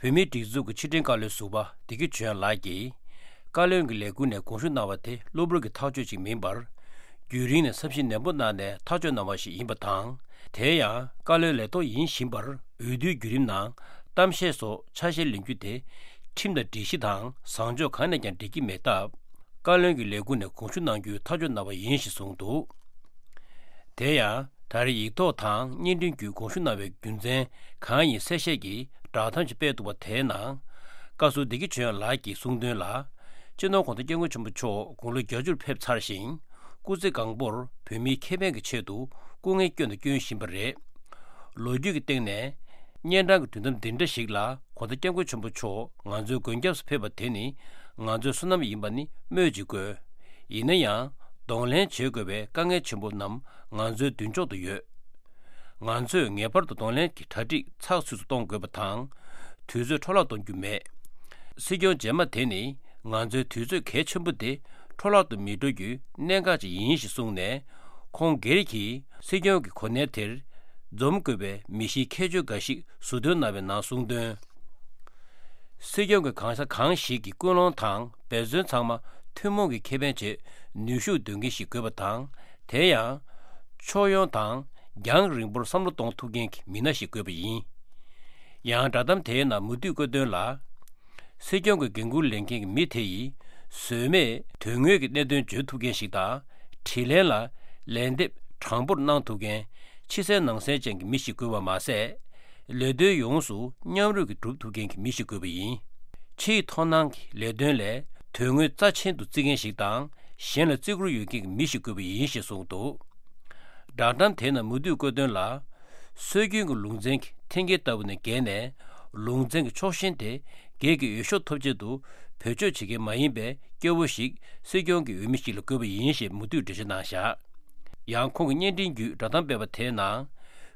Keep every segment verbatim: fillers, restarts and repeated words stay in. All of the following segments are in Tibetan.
བོད་མིའི་སྒྲིག་འཛུགས་ཀྱི་ཕྱི་དྲིལ་བཀའ་བློན་ཟུར་པ་བདེ་སྐྱིད་ཆོས་དབྱངས་ལགས་ཀྱིས། བཀའ་བློན་གྱི་ལས་ཁུངས་ནས་དགོངས་ཞུ་གནང་བ་དེ་གློ་བུར་གྱི་ཐག་གཅོད་ཅིག་མིན་པར། རྒྱུན་རིང་ནས་བསམ་གཞིག་ནན་པོ་གནང་ནས་ཐག་གཅོད་གནང་བ་ཞིག་ཡིན་པ་དང་། དེ་ཡང་བཀའ་བློན་ལས་ཐོག་ཡིན་བཞིན་པར་འོས་བསྡུའི་བརྒྱུད་རིམ་ནང་གཏམ་བཤད་སོགས་ཆ་ཤས་ལེན་རྒྱུ་དེ་ཁྲིམས་དང་སྒྲིག་གཞི་དང་བཟང་ཕྱོགས་གང་ནས་ཀྱང་འགྲིག་གི་མེད་སྟབས། བཀའ་བློན་གྱི་ལས་ཁུངས་ནས་དགོངས་ཞུ་གནང་རྒྱུའི་ཐག་གཅོད་གནང་བ་ཡིན་ཞེས་གསུངས་འདུག། དེ་ཡང་ད་རེས་ཡིག་ཐོག་དང་བརྙན་འཕྲིན་བརྒྱུད་དགོངས་ཞུ་གནང་བའི་རྒྱུ་མཚན་གང་ཡིན་གསལ་བཤད་ཀྱི་བསྒྲགས་གཏམ་ཞིག་སྤེལ་འདུག་པ་དེའི་ནང་། བཀའ་ཟུར་བདེ་སྐྱིད་ཆོས་དབྱངས་ལགས་ཀྱིས་གསུངས་དོན་ལ། སྤྱི་ནོར་༧གོང་ས་༧སྐྱབས་མགོན་ཆེན་པོ་མཆོག་དགུང་ལོ་བརྒྱད་ཅུར་ཕེབས་ཚར་ཞིང་། སྐུ་ཚེ་གང་པོར་བོད་མིའི་ཁེ་ཕན་གྱི་ཆེད་དུ་སྐུ་ངལ་བསྐྱོན་དང་སྐྱོན་བཞིན་པ་རེད། ལོ་རྒྱུས་ཀྱི་སྟེང་ནས། གཉན་འཕྲང་གི་དུས་དམ་འདི་འདྲ་ཞིག་ལ་༧གོང་ས་༧སྐྱབས་མགོན་ཆེན་པོ་མཆོག་ང་ཚོའི་མགོན་སྐྱབས་སུ་ཕེབས་པ་དེ་ནི་ང་ཚོའི་བསོད་ནམས་ཡིན་པ་ནི་སྨོས་ཅི་དགོས། ཡིན་ན་ཡང་གདོང་ལེན་བྱེད་དགོས་པའི་དཀའ་ངལ་ཆེན་པོ་རྣམས་ང་ཚོའི་མདུན་ཕྱོགས་སུ་ཡོད། ང་ཚོས་ངེས་པར་དུ་གདོང་ལེན་གྱི་གྲ་སྒྲིག་ཚགས་ཚུད་དུ་གཏོང་དགོས་པ་དང་། དུས་ཚོད་འཕྲོ་བརླག་གཏོང་རྒྱུ་མེད། སྲིད་སྐྱོང་རྗེས་མ་དེ་ནི་ང་ཚོའི་དུས་ཚོད་གལ་ཆེན་པོ་དེ་འཕྲོ་བརླག་ཏུ་མི་འགྲོ་རྒྱུའི་གནད་འགག་ཅིག་ཡིན་ཞེས་གསུངས་ནས། ཁོང་སྒེར་གྱིས་སྲིད་སྐྱོང་གི་གོ་གནས་དེར་འཛོམས་དགོས་པའི་མི་གཤིས་ཁྱད་ཆོས་འགའ་ཞིག་ཟུར་འདོན་གནང་བའི་ནང་གསུངས་དོན། སྲིད་སྐྱོང་གི་གང་ས་གང་ཞིག་གི་ཀུན་སློང་དང་འབད་བརྩོན་ཚང་མ་ཐུན་མོང་གི་ཁེ་ཕན་ཆེད་ནུས་ཤུགས་འདོན་མཁན་ཞིག་དགོས་པ་དང་། དེ་ཡང་། ཕྱོགས་ཡོངས་དང་རྒྱང་རིང་པོར་བསམ་བློ་གཏོང་ཐུབ་མཁན་གྱི་མི་སྣ་ཞིག་དགོས་པ་ཡིན། ཡང་བསྒྲགས་གཏམ་དེའི་ནང་མུ་མཐུད་བཀོད་དོན་ལ། སྲིད་སྐྱོང་གི་འགན་འཁུར་ལེན་མཁན་གྱི་མི་དེ་ཡིས་ཟོལ་མེད་དོན་དངོས་ཀྱི་གནད་དོན་བརྗོད་ཐུབ་མཁན་ཞིག་དང་། དྲིས་ལན་ལ་ལན་འདེབས་དྲང་པོར་གནང་ཐུབ་མཁན། ཕྱི་གསལ་ནང་གསལ་ཅན་གྱི་མི་ཞིག་དགོས་པ་མ་ཟད། ལས་དོན་ཡོངས་སུ་མཉམ་རུབ་ཀྱིས་སྒྲུབ་ཐུབ་མཁན་གྱི་མི་ཞིག་དགོས་པ་ཡིན། ཕྱིའི་མཐོང་སྣང་གི་ལས་དོན་ལས་དོན་དངོས་རྩ་ཆེན་དུ་བརྩི་མཁན་ཞིག་དང་། གཞན་ལ་བརྩི་བཀུར་ཡོད་མཁན་གྱི་མི་ཞིག་དགོས་པ་ཡིན་ཞེས་གསུངས་འདུག། བསྒྲགས་གཏམ་དེའི་ནང་མུ་མཐུད་བཀོད་དོན་ལ། སྲོལ་རྒྱུན་གྱི་ལུང་ཚན་གྱི་འཐེན་འཁྱེར་ལྟ་བུ་ནས་བརྒལ་ནས། ལུང་ཚན་གྱི་ཕྱོགས་ཞེན་དེ་སྒེར་གྱི་འོས་ཤོག་ཐོབ་ཆེད་དུ་བེད་སྤྱོད་བྱེད་མཁན་མ་ཡིན་པའི་སྐྱོ་བོ་ཞིག་སྲིད་སྐྱོང་གི་འོས་མི་ཞིག་ལ་དགོས་པ་ཡིན་ཞེས་མུ་མཐུད་འགྲེལ་བརྗོད་གནང་བཞག། ཡང་ཁོང་གིས་བརྙན་འཕྲིན་བརྒྱུད་བསྒྲགས་གཏམ་སྤེལ་བ་དེའི་ནང་།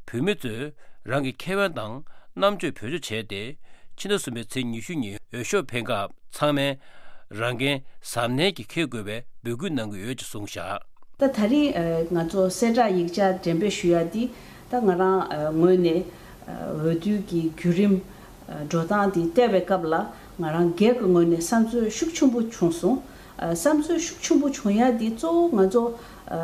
བོད་མི་ཚོས་རང་གི་ཁེ་ཕན་དང་རྣམ་དཔྱོད་བེད་སྤྱོད་བྱས་ཏེ། ཕྱི་ཟླ་གསུམ་པའི་ཚེས་ཉི་ཤུ་ཉིན་འོས་ཤོག་འཕེན་སྐབས་ཚང་མས་རང་འགན་གཟབ་ནན་གྱིས་འཁྱེར་དགོས་པའི་འབོད་སྐུལ་གནང་གི་ཡོད་ཅེས་གསུངས་བཞག། ད་ད་རིང་ཨ་ང་ཚོ་གསལ་བསྒྲགས་ཡིག་ཆ་འགྲེམས་སྤེལ་ཞུ་ཡ་འདི་ད་ང་རང་ཨ་ངོས་ནས་ཨ་འོས་བསྡུ་གི་བརྒྱུད་རིམ་ཨ་འགྲོ་སྟངས་འདི་བལྟས་པའི་སྐབས་ལ་ང་རང་སྒེར་གྱི་ངོས་ནས་བསམ་ཚོད་ཤུགས་ཆེན་པོ་བྱུང་སོང་། ཨ་བསམ་ཚོད་ཤུགས་ཆེན་པོ་བྱུང་ཡ་འདི་གཙོ་བོ་ང་ཚོ་ཨ་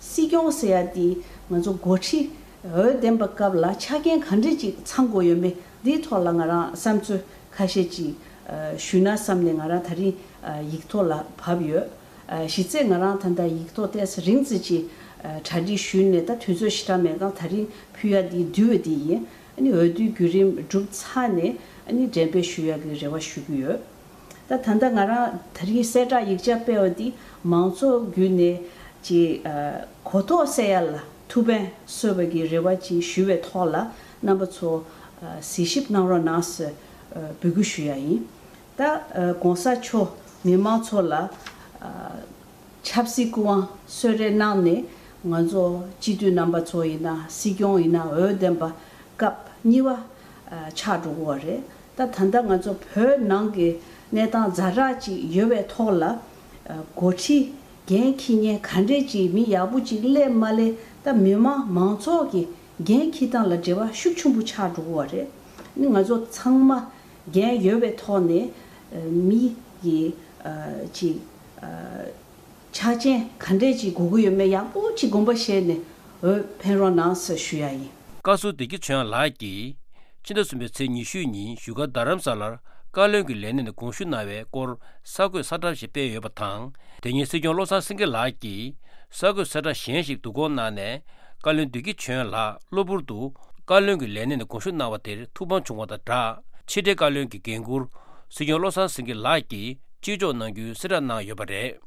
སྲིད་སྐྱོང་ཟེར་ཡ་འདི་ང་ཚོ་འགོ་ཁྲིད་འོས་འདེམས་པའི་སྐབས་ལ་ཆ་རྐྱེན་ག་འདྲས་ཅིག་ཚང་དགོས་ཡོད་མེད་འདིའི་ཐོག་ལ་ང་རང་བསམ་ཚོད་ཁ་ཤས་ཅིག་ཨ་ཞུས་ན་བསམ་ནས་ང་རང་ད་རིང་ཨ་ཡིག་ཐོག་ལ་བབས་ཡོད། ཨ་གཞི་རྩའི་ང་རང་ད་ལྟ་ཡིག་ཐོག་ཏོག་ཙམ་རིང་ཙམ་ཅིག་ཨ་གྲ་སྒྲིག་ཞུས་ནས་ད་དུས་ཚོད་ཞེ་དྲག་མེད་གང་ད་རིང་ཕུལ་ཡ་འདི་བསྡུས་པ་འདི་ཡིན། ཨ་ནི་འོས་བསྡུའི་བརྒྱུད་རིམ་གྲུབ་ཚར་ནས་ཨ་ནི་འགྲེམས་སྤེལ་ཞུ་ཡ་གི་རེ་བ་ཞུ་གི་ཡོད། ད་ད་ལྟ་ང་རང་ད་རིང་གསལ་བསྒྲགས་ཡིག་ཆ་སྤེལ་བ་འདི་མང་ཚོགས་བརྒྱུད་ནས་ཅིག་ཨ་གོ་རྟོགས་སད་ཡ་ལ་ཐུགས་ཕན་གསོས་པ་གི་རེ་བ་ཅིག་ཞུ་བའི་ཐོག་ལ་རྣམ་པ་ཚོ་ཨ་གཟིགས་ཞིབ་གནང་རོགས་གནང་ཟེར་ཨ་འབོད་སྐུལ་ཞུ་ཡ་ཡིན། ད་ཨ་གོང་ས་མཆོག་མི་མང་ཚོ་ལ་ཨ་ཆབ་སྲིད་སྐུ་དབང་གསོལ་རས་གནང་ནས་ང་ཚོ་སྤྱི་འཐུས་རྣམ་པ་ཚོ་ཡིན་ན་སྲིད་སྐྱོང་ཡིན་ན་འོས་འདེམས་པ་སྐབས་གཉིས་པ་ཨ་ཆགས་འགྲོ་གི་ཡོད་རེད། ད་ད་ལྟ་ང་ཚོ་བོད་ནང་གི་གནས་སྟངས་ཛ་དྲག་ཅིག་ཡོད་པའི་ཐོག་ལ་ཨ་འགོ་ཁྲིད་འགན་འཁྱེར་མཁན་ག་འདྲས་ཅིག་མི་ཡག་པོ་ཅིག་སླེབས་མ་སླེབས་ད་མི་མང་མང་ཚོགས་ཀྱི་འགན་འཁྱེར་སྟངས་ལ་འབྲེལ་བ་ཤུགས་ཆེན་པོ་ཆགས་འགྲོ་གི་ཡོད་རེད། ནི་ང་ཚོ་ཚང་མ་འགན་ཡོད་པའི་ཐོག་ནས་ཨ་མི་གི་ཨ་ཅིག་ཨ་ཆ་རྐྱེན་ག་འདྲས་ཅིག་དགོས་ཀྱི་ཡོད་མེད་ཡག་པོ་ཅིག་དགོངས་པ་བཞེས་ནས་འོས་འཕེན་རོགས་གནང་ཟེར་ཞུ་ཡ་ཡིན། བཀའ་ཟུར་བདེ་སྐྱིད་ཆོས་དབྱངས་ལགས་ཀྱིས་ཕྱི་ཟླ་གསུམ་པའི་ཚེས་ཉི་ཤུ་ཉིན་བཞུགས་སྒར་རྡ་རམ་ས་ལར་བཀའ་བློན་གྱི་ལས་གནས་ནས་དགོངས་ཞུ་གནང་བའི་སྐོར་གསར་འགོད་གསལ་བསྒྲགས་ཤིག་སྤེལ་ཡོད་པ་དང་། དེ་ཉིན་སྲིད་སྐྱོང་བློ་བཟང་སེང་གེ་ལགས་ཀྱིས་གསར་འགོད་གསལ་བསྒྲགས་གཞན་ཞིག་བསྡུ་སྐོང་གནང་ནས། བཀའ་བློན་བདེ་སྐྱིད་ཆོས་དབྱངས་ལགས་གློ་བུར་དུ་བཀའ་བློན་གྱི་ལས་གནས་ནས་དགོངས་ཞུ་གནང་བ་དེར་ཐུགས་ཕམ་བྱུང་བ་དང་སྦྲགས། ཕྱི་དྲིལ་བཀའ་བློན་གྱི་འགན་འཁུར་སྲིད་སྐྱོང་བློ་བཟང་སེང་གེ་ལགས་ཀྱིས་ཕྱིར་འཇོག་གནང་རྒྱུའི་གསལ་བསྒྲགས་གནང་ཡོད་པ་རེད།